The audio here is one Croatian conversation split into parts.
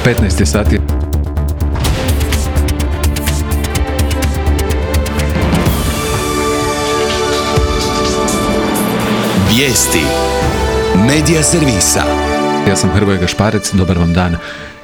15 sati. Vijesti Medija servisa. Ja sam Hrvoje Gašparec, dobar vam dan.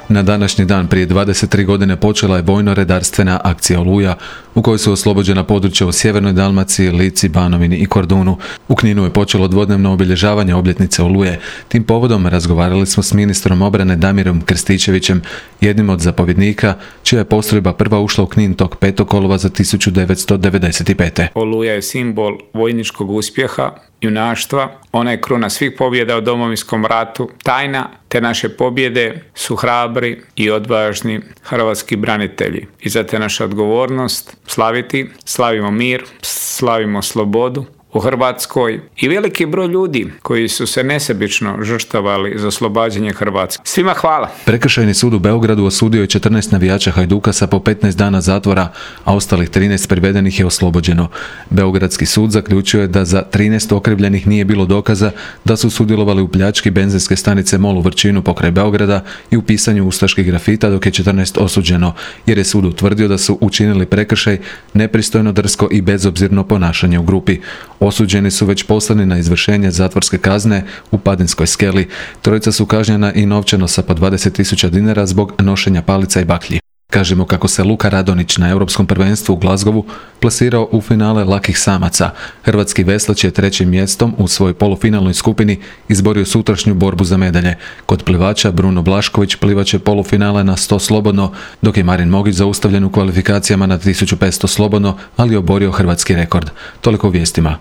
Na današnji dan prije 23 godine počela je vojno-redarstvena akcija Oluja, u kojoj su oslobođena područja u sjevernoj Dalmaciji, Lici, Banovini i Kordunu. U Kninu je počelo dvodnevno obilježavanje obljetnice Oluje. Tim povodom razgovarali smo s ministrom obrane Damirom Krstičevićem, jednim od zapovjednika, čija je postrojba prva ušla u Knin tog 5. kolovoza 1995. Oluja je simbol vojničkog uspjeha, junaštva, ona je kruna svih pobjeda u Domovinskom ratu, tajna te naše pobjede su hrabri i odvažni hrvatski branitelji. I zato je naša odgovornost slaviti, slavimo mir, slavimo slobodu u Hrvatskoj i veliki broj ljudi koji su se nesebično žrtvovali za oslobađanje Hrvatske. Svima hvala. Prekršajni sud u Beogradu osudio je 14 navijača Hajduka sa po 15 dana zatvora, a ostalih 13 privedenih je oslobođeno. Beogradski sud zaključio je da za 13 okrivljenih nije bilo dokaza da su sudjelovali u pljački benzinske stanice MOL u Vrčinu pokraj Beograda i u pisanju ustaških grafita, dok je 14 osuđeno, jer je sud utvrdio da su učinili prekršaj nepristojno, drsko i bezobzirno ponašanje u grupi. Osuđeni su već poslani na izvršenje zatvorske kazne u Padinskoj skeli. Trojica su kažnjena i novčano sa po 20.000 dinara zbog nošenja palica i baklji. Kažemo kako se Luka Radonić na Europskom prvenstvu u Glasgowu plasirao u finale lakih samaca. Hrvatski veslač je trećim mjestom u svojoj polufinalnoj skupini izborio sutrašnju borbu za medalje. Kod plivača Bruno Blašković plivat će polufinale na 100 slobodno, dok je Marin Mogić zaustavljen u kvalifikacijama na 1500 slobodno, ali oborio hrvatski rekord. Toliko u vijestima.